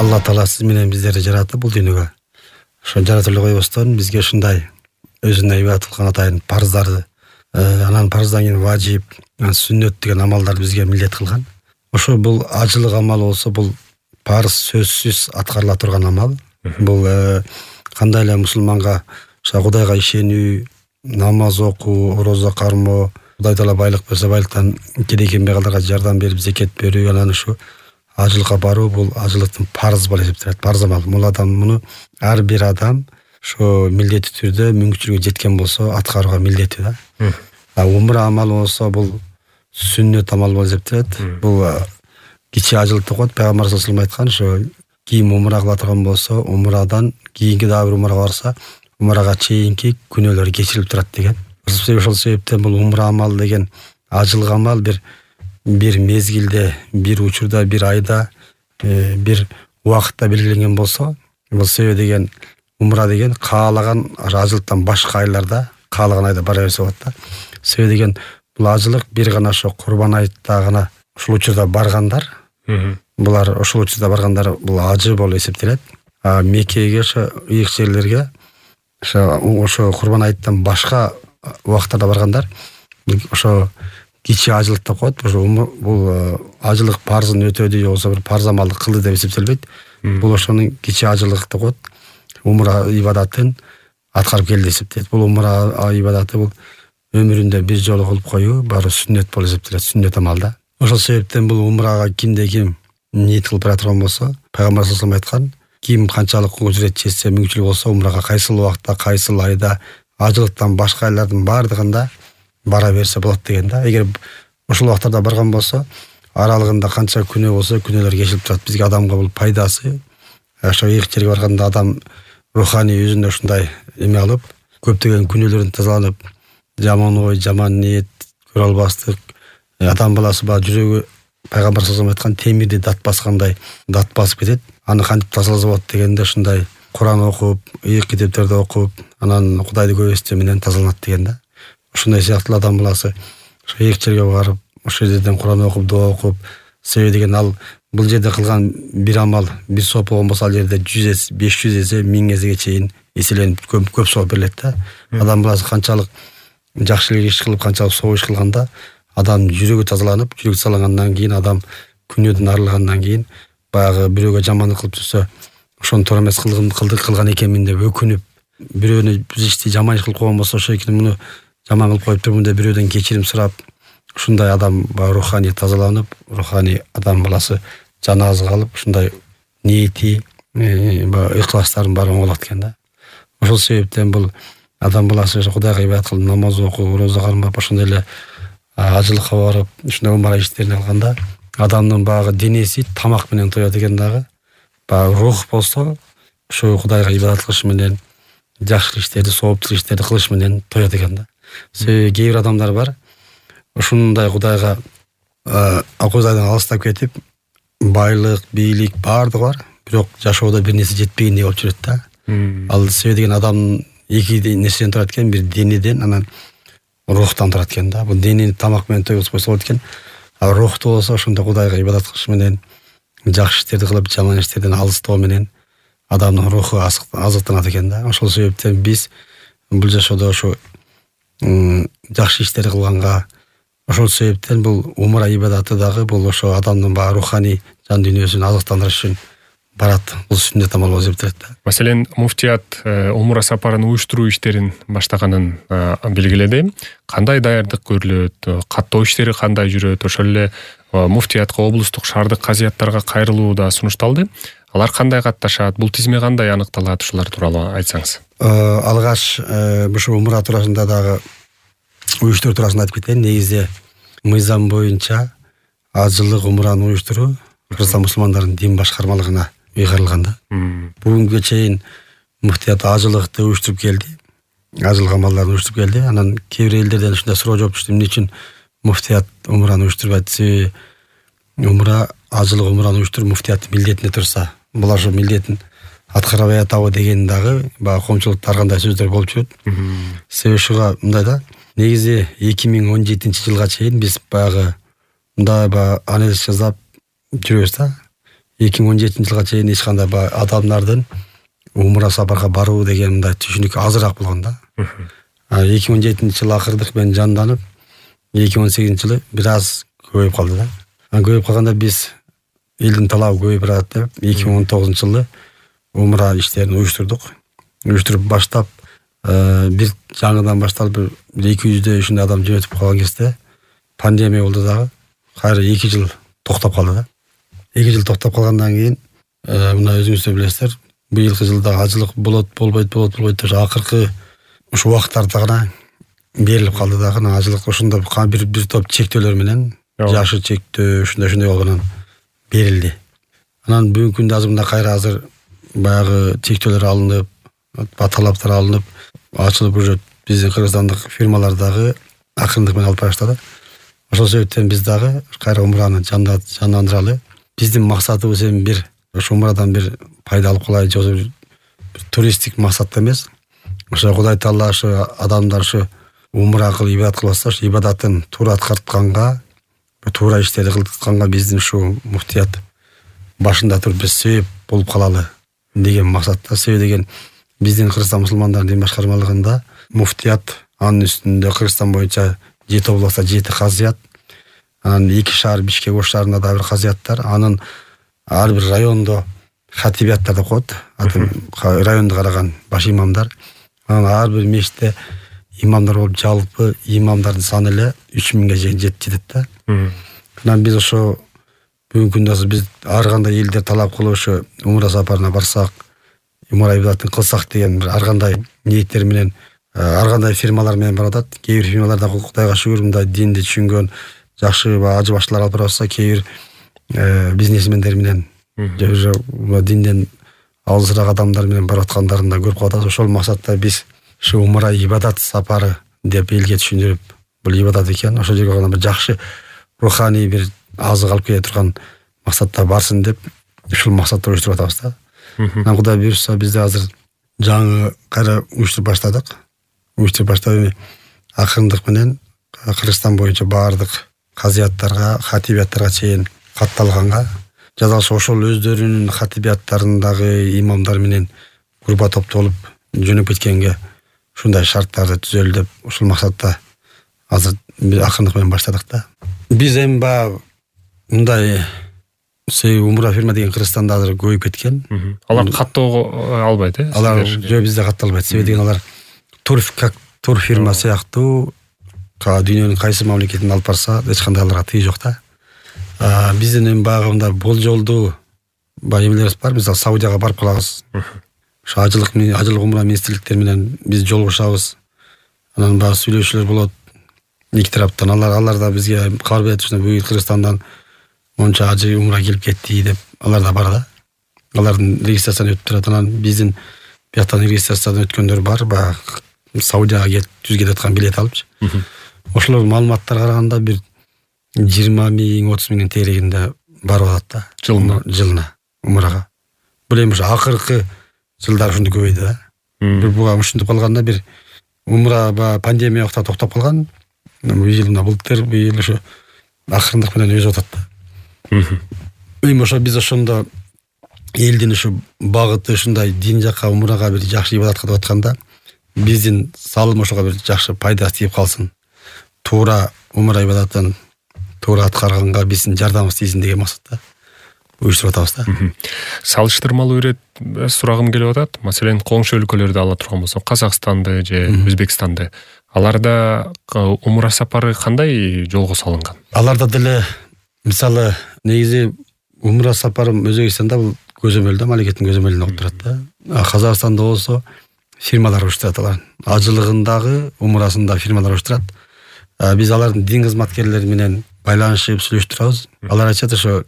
Алла Таала сиз менен биздерди жаратып бул дүйнөгө. Ошо жаратып койбостон бизге ушундай өзүнө ибадат кылган атайын парыздарды, анан парыздан кийин важип, сүннөт деген амалдарды бизге милдет кылган. Ошо бул ажылык амал болсо бул парыз сөзсүз аткарыла турган амал. Бул кандай эле мусулманга Кудайга ишенүү, намаз окуу, орозо кармоо, Кудай Таала байлык берсе байлыктан кедей кембагалдарга жардам берип зекет берүү, анан ушу ажылыкка баруу бул ажылыктын парыз болуп эсептелет, парыз амал. Муну ар бир адам ошо милдеттүү түрдө мүмкүнчүлүгү жеткен болсо аткарууга милдеттүү да. Умра амалы болсо бул сүннөт амал болуп эсептелет. Бул кичи ажылык деп коет. Пайгамбар саллаллаху алейхи айткан, ошо ким умра кыла турган болсо, умрадан кийинки дагы бир умрага барса, умрага чейинки күнөөлөрү кечирилип турат деген. Ошол себептен бул умра амал деген ажылык амал бир мезгилде, бир учурда, бир айда, бир убакытта белгиленген болсо, бул себеби деген умра деген каалаган ажылыктан башка айларда, каалаган айда бара берсе болот да. Себеби деген бул ажылык бир гана ошо Курбан айтта гана ушул учурда баргандар, булар ошол учурда баргандар бул ажы болуп эсептелет. Меккеге, ошо ыйык жерлерге, ошо Курбан айттан башка убакыттарда баргандар ошо кичи ажылык деп коет. Бул ажылык парызын өтөдү же болбосо бир парыз амалды кылды деп эсептелбейт. Бул ошонун кичи ажылык деп коет. Умра ибадатын аткарып келди эсептелет. Бул умра ибадаты бул өмүрүндө бир жолу кылып коюу баары сүннөт болуп эсептелет, сүннөт амалда. Ошол себептен бул умрага кимде ким ниет кылып бара турган болсо, Пайгамбар саллаллаху алейхи айткан, ким канчалык ужурет жетсе, мүмкүнчүлүк болсо умрага кайсыл убакытта, кайсыл айда, ажылыктан башка айлардын баардыгында бара берсе болот деген да. Эгер ошол убактарда барган болсо, аралыгында канча күнөө болсо, күнөөлөр кечилип турат. Бизге адамга бул пайдасы. Ошо ыйык жерге барганда адам руханий өзүнө ушундай эме алып, көптөгөн күнөөлөрдөн тазаланып, жаман ой, жаман ниет, көрө албастык, адам баласы баягы жүрөгү Пайгамбар саллаллаху алейхи айткан темирди дат баскандай дат басып кетет. Аны кантип тазаласа болот дегенде ушундай Куран окуп, ыйык китептерди окуп, анан Кудайды көп эстөө менен тазаланат деген да. Ушундай сыяктуу адам баласы ошо ыйык жерге барып, ошол жерден Куран окуп, дуа окуп, себеби деген ал бул жерде кылган бир амал, бир сооп болгон болсо, ал жерде 100 эсе, 500 эсе, 1000 эсеге чейин эселенип көп сооп берилет да. Адам баласы канчалык жакшы иш кылып, канчалык соо иш кылганда адам жүрөгү тазаланып, жүрөк тазалангандан кийин адам күнөөдөн арылгандан кийин баягы бирөөгө жамандык кылып жүрсө, ошону туура эмес кылган экенмин деп өкүнүп, бирөөнү бир ишти жаман иш кылып койгон болсо, ошо экени муну жаман кылып коюп турмун деп бирөөдөн кечирим сурап, ушундай адам руханий тазаланып, руханий адам баласы жаны азгалып, ушундай ниети, ыкластарын баары оңолот экен да. Ошол себептен бул адам баласы Кудайга ибадат кылып, намаз окуп, орозо кармап, ошондой эле ажылыкка барып, ушундай умра иштерин алганда адамдын баягы денеси тамак менен тоет экен дагы. Баягы рух болсо, ошо Кудайга ибадат кылыш менен, жакшы иштерди, сооптуу иштерди кылыш менен тоет экен да. Себеби кээ бир адамдар бар, ушундай Кудайга Кудайдан алыстап кетип, байлык, бийлик баардыгы бар, бирок жашоодо бир нерсе жетпегендей болуп жүрөт да. Ал себеби деген адам эки нерседен турат экен, бир денеден, анан рухтан турат экен да. Бул денени тамак менен тойгузуп койсо болот экен. А рухту болсо ошондой Кудайга ибадат кылыш менен, жакшы иштерди кылып, жаман иштерден алыстоо менен адамдын руху азыктанат экен да. Ошол себептен биз бул жашоодо ошо жакшы иштерди кылганга, ошол себептен бул умра ибадаты дагы бул ошо адамдын баягы руханий жан дүйнөсүн азыктандырыш үчүн барат. Бул сүннөт амал болуп эсептелет да. Маселен, муфтият умра сапарын уюштуруу иштерин баштаганын белгиледи. Кандай даярдык көрүлөт, каттоо иштери кандай жүрөт? Ошол эле муфтиятка, облустук шаардык казыяттарга кайрылуу да сунушталды. Алар кандай катташат? Бул тизме кандай аныкталат? Ушулар тууралуу айтсаңыз. Алгач ушу умра туурасында дагы уюштуруу туурасында айтып кетейин. Негизде мыйзам боюнча ажылык умраны уюштуруу Кыргызстан мусулмандардын дин башкармалыгына ыйгарылган да. Бүгүнгө чейин муфтият ажылыкты уюштуруп келди. Ажылык амалдарын уюштуруп келди. Анан кээ бир элдерден ушундай суроо жооп түштү. Эмне үчүн муфтият умраны уюштурбайт? Себеби умра, ажылык умраны уюштуруу муфтияттын милдетине турса, булар ошо милдетин аткарбай атабы деген дагы баягы коомчулукта ар кандай сөздөр болуп жүрөт. Себеби ушуга мындай да. Негизи 2017-жылга чейин биз баягы мындай анализ жасап жүрөбүз да. 2017 жылга чейин эч кандай адамдардын умра сапарга баруу деген мындай түшүнүк азыраак болгон да. 2017 жылы акырдык мен жанданып, 2018 жылы бир аз көбөйүп калды да. Көбөйүп калганда биз элдин талабы көбөйүп барат деп 2019 жылы умра иштерин уюштуруп баштап, бир жаңыдан башталып бир 200 ушундай адам жөнөтүп калган кезде пандемия болду дагы. Кайра 2 жыл токтоп калды да. 2 жыл токтоп калгандан кийин мына өзүңүз да билесиздер, быйылкы жылда ажылык болбойт деп акыркы ушу убакыттарда гана берилип калды дагы. Ажылык ошондо бир топ чектөөлөр менен жашы чектөө ушундай болгонун берилди. Анан бүгүнкү күндө азыр баягы чектөөлөр алынып, талаптар алынып, ачылып уже биздин кыргызстандык фирмалар дагы акырындык менен алып барышты. Ошол себептен биз дагы кайра умраны жандандыралы. Биздин максатыбыз эми бир ошо умрадан бир пайда алып калайын, же бир туристтик максатта эмес. Ошо Кудай Таала ошо адамдар ошо умра кылып ибадат кылбаса, ошо ибадатын туура аткартканга, туура иштерди кылтканга биздин ушу муфтият башында туруп биз себеп болуп калалы деген максатта. Себеби деген биздин Кыргызстан мусулмандардын дин башкармалыгында муфтият, анын үстүндө Кыргызстан боюнча 7 областта 7 казыят, анан 2 шаар Бишкек Ош шаарында да бир казыяттар, анын ар бир райондо хатибияттар деп коет, районду караган баш имамдар. Анан ар бир мешитте имамдар болуп, жалпы имамдардын саны эле 3000ге жетет да. Анан биз ошо бүгүнкү күндө биз ар кандай элдер талап кылып ошо умра сапарына барсак, умра ибадатын кылсак деген бир ар кандай ниеттер менен, ар кандай фирмалар менен барып атат. Кээ бир фирмаларда Кудайга шүгүр мындай динди түшүнгөн жакшы ажы баштылар алып барса, кээ бир бизнесмендер менен же динден алысыраак адамдар менен барып аткандарын да көрүп калат. Ошол максатта биз ушу умра ибадат сапары деп элге түшүндүрүп, бул ибадат экен, ошол жерге гана бир жакшы руханий бир азык алып келе турган максатта барсын деп ушул максатта уюштуруп атабыз да. Анан Кудай буюрса бизде азыр жаңы кайра уюштуруп баштадык. Акырындык менен Кыргызстан боюнча баардык казыяттарга, хатибияттарга чейин катталганга, жазалышы ошол өздөрүнүн хатибияттарындагы имамдар менен группа топтолуп жөнөп кеткенге ушундай шарттарды түзөлү деп ушул максатта азыр акырындык менен баштадык да. Биз эми баягы мындай умра фирма деген Кыргызстанда азыр көбөйүп кеткен. Алар каттоого албайт, Алар жөө бизде катталбайт. Себеби деген алар тур фирма сыяктуу дүйнөнүн кайсы мамлекетине алып барса, эч кандай аларга тыйы жок да. Биздин эми баягы мындай болжолдуу эмелерибиз бар. Мисалы Саудияга барып калабыз. Ошо ажылык умра министрликтери менен биз жолугушабыз. Анан баягы сүйлөшүүлөр болот. Эки тараптан алар да бизге кабар берет, бugün Кыргызстандан монча ажы умра келип кетти деп. Алар да бар да. Алардын регистрацияны өтүп турат. Анан биздин бияктан регистрациядан өткөндөр бар, баягы Саудияга келип түз кетип аткан билет алыпчы. Ошолор маалыматтарга караганда бир 20,000-30 миңдин тегерегинде барып атат да. Жылына умрага. Бул эми ошо акыркы жылдар ушундай көбөйдү да. Бир буга ушинтип калганда бир умра пандемия убакта токтоп калган. Бул жыл былтыр, быйыл ошо акырындык менен өзүп атат да. Эми ошо биз ошондо элдин ушу багыты ушундай дин жакка, умрага бир жакшы ибадатка деп атканда, биздин салым ошого бир жакшы пайда тийип калсын. Туура умра ибадатын туура аткарганга биздин жардамыбыз тийсин деген максатта уюштуруп атабыз да. Салыштырмалуу ирет сурагым келип атат. Маселен, коңшу өлкөлөрдү ала турган болсок, Казакстанды же Өзбекстанды, аларда умра сапары кандай жолго салынган? Аларда деле мисалы негизи умра сапары Өзбекстанда бул көзөмөлдө, мамлекеттин көзөмөлүндө болуп турат да. Казакстанда болсо фирмалар уюштурат алар. Ажылыгындагы, умрасында фирмалар уюштурат. Биз алардын дин кызматкерлери менен байланышып сүйлөштүрөбүз. Алар айтышат, ошо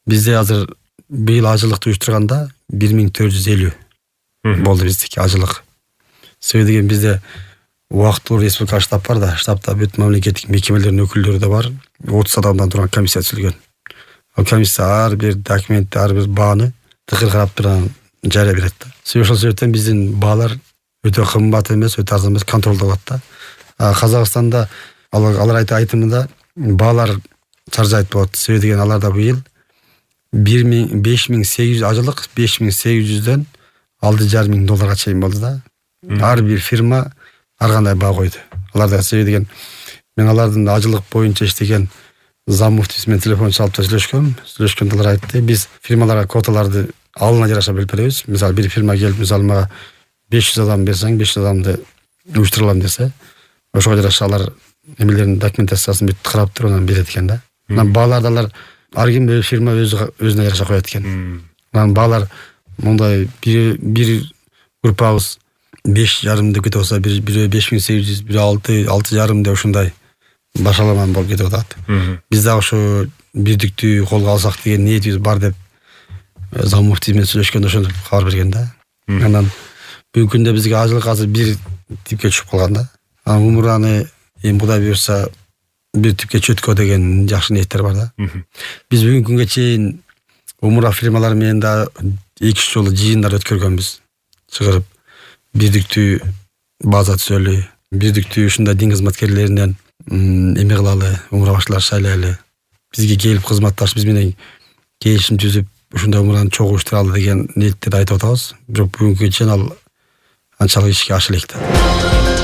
бизде азыр быйыл ажылыкты уюштурганда 1450 болду биздики ажылык. Себеби деген бизде убактылуу республика штаб бар да, штабта бүт мамлекеттик мекемелердин өкүлдөрү да бар. 30 адамдан турган комиссия түзүлгөн. Ал комиссия ар бир документти, ар бир бааны тыкыр карап турган жарыя берет да. Ошол себептен биздин баалар өтө кымбат эмес, өтө арзан эмес, контролдо болот да. Казакстанда алар айтымында баалар чаржайт болот. Себеби деген аларда быйыл $5800 ажылык $5800 $6,500 чейин болду да. Ар бир фирма ар кандай баа койду. Аларда себеби деген мен алардын ажылык боюнча иштеген зам муфтиси менен телефон чалып сүйлөшкөндө алар айтты, биз фирмаларга квоталарды алына жараша бөлүп беребиз. Мисалы бир фирма келип, мисалы мага 500 адам берсең, 500 адамды уюштуралам десе, ошого жараша алар эмелердин документациясын бүт карап туруп анан берет экен да. Анан бааларды алар ар ким фирма өзүнө жараша коет экен. Анан баалар мындай бир группабыз 5,5 деп кетип атса, бирөө 5800, бирөө 6,5 деп ушундай башаламан болуп кетип атат. Биз дагы ошо бирдиктүү колго алсак деген ниетибиз бар деп зам муфти менен сүйлөшкөндө ошондо кабар берген да. Анан бүгүнкү күндө бизге ажылык азыр бир типке түшүп калган да. Анан умураны эми Кудай буюрса бир типке чөткө деген жакшы ниеттер бар да. Биз бүгүнкү күнгө чейин умура фирмалар менен да 2-3 жолу жыйындар өткөргөнбүз. Чыгарып бирдиктүү база түзөлү, бирдиктүү ушундай дин кызматкерлеринен эме кылалы, умура башталар шайлайлы. Бизге келип кызматташ, биз менен келишим түзүп, ушундай умураны чогуу уюштуралы деген ниеттерди айтып атабыз. Бирок бүгүнкү чейин ал анчалык ишке ашыла элек да.